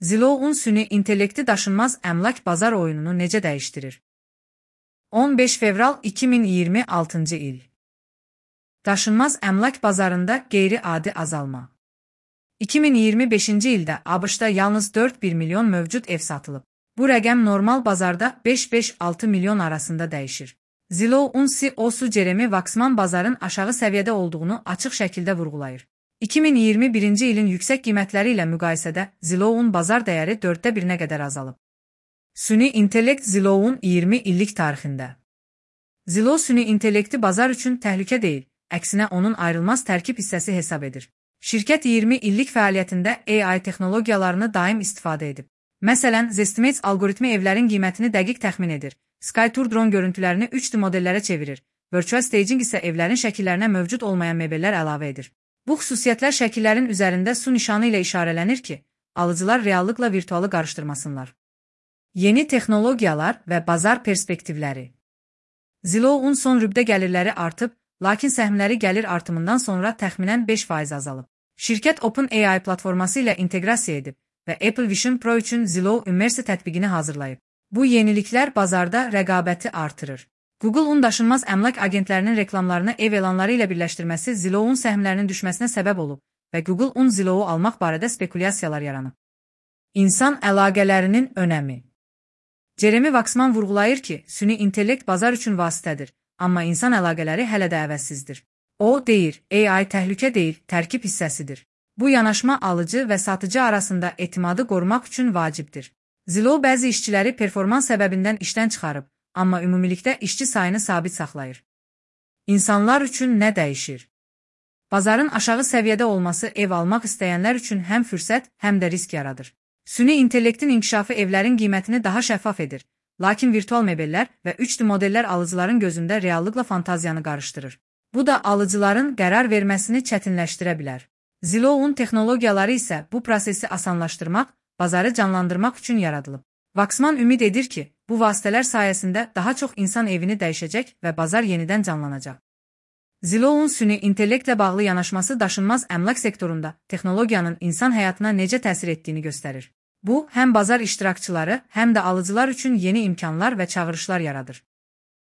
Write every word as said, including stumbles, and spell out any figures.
Zillow-un süni intellekti daşınmaz əmlak bazar oyununu necə dəyişdirir? on beş fevral iki min iyirmi altıncı il. Daşınmaz əmlak bazarında qeyri-adi azalma. iki min iyirmi beşinci ildə ABŞ-da yalnız dörd bir milyon mövcud ev satılıb. Bu rəqəm normal bazarda beş beş altı milyon arasında dəyişir. Zillow-un C E O-su Jeremy Waksman bazarın aşağı səviyyədə olduğunu açıq şəkildə vurğulayır. iki min iyirmi birinci ilin yüksək qiymətləri ilə müqayisədə Zillow-un bazar dəyəri dörddə birinə qədər azalıb. Süni intellekt Zillow-un iyirmi illik tarixində. Zillow süni intellekti bazar üçün təhlükə deyil, əksinə onun ayrılmaz tərkib hissəsi hesab edir. Şirkət iyirmi illik fəaliyyətində A I texnologiyalarını daim istifadə edib. Məsələn, Zestimates algoritmi evlərin qiymətini dəqiq təxmin edir, SkyTour dron görüntülərini üç D modellərə çevirir, Virtual Staging isə evlərin şəkillərinə mövcud olmayan mebellər əlavə edir. Bu xüsusiyyətlər şəkillərin üzərində su nişanı ilə işarələnir ki, alıcılar reallıqla virtualı qarışdırmasınlar. Yeni texnologiyalar və bazar perspektivləri. Zillow-un son rübdə gəlirləri artıb, lakin səhmləri gəlir artımından sonra təxminən beş faiz azalıb. Şirkət OpenAI platforması ilə inteqrasiya edib və Apple Vision Pro üçün Zillow Immersive tətbiqini hazırlayıb. Bu yeniliklər bazarda rəqabəti artırır. Google-un daşınmaz əmlak agentlərinin reklamlarını ev elanları ilə birləşdirməsi Zillow-un səhmlərinin düşməsinə səbəb olub və Google-un Zillow-u almaq barədə spekulyasiyalar yaranıb. İnsan əlaqələrinin önəmi. Jeremy Waksman vurğulayır ki, süni intellekt bazar üçün vasitədir, amma insan əlaqələri hələ də əvəzsizdir. O, deyir, A I təhlükə deyil, tərkib hissəsidir. Bu yanaşma alıcı və satıcı arasında etimadı qorumaq üçün vacibdir. Zillow bəzi işçiləri performans səbəbindən işdən çıxarıb, amma ümumilikdə işçi sayını sabit saxlayır. İnsanlar üçün nə dəyişir? Bazarın aşağı səviyyədə olması ev almaq istəyənlər üçün həm fürsət, həm də risk yaradır. Süni intellektin inkişafı evlərin qiymətini daha şəffaf edir, lakin virtual mebellər və üç D modellər alıcıların gözündə reallıqla fantaziyanı qarışdırır. Bu da alıcıların qərar verməsini çətinləşdirə bilər. Zillow-un texnologiyaları isə bu prosesi asanlaşdırmaq, bazarı canlandırmaq üçün yaradılıb. Waksman ümid edir ki, bu vasitələr sayəsində daha çox insan evini dəyişəcək və bazar yenidən canlanacaq. Zillow-un süni intellektlə bağlı yanaşması daşınmaz əmlak sektorunda texnologiyanın insan həyatına necə təsir etdiyini göstərir. Bu, həm bazar iştirakçıları, həm də alıcılar üçün yeni imkanlar və çağırışlar yaradır.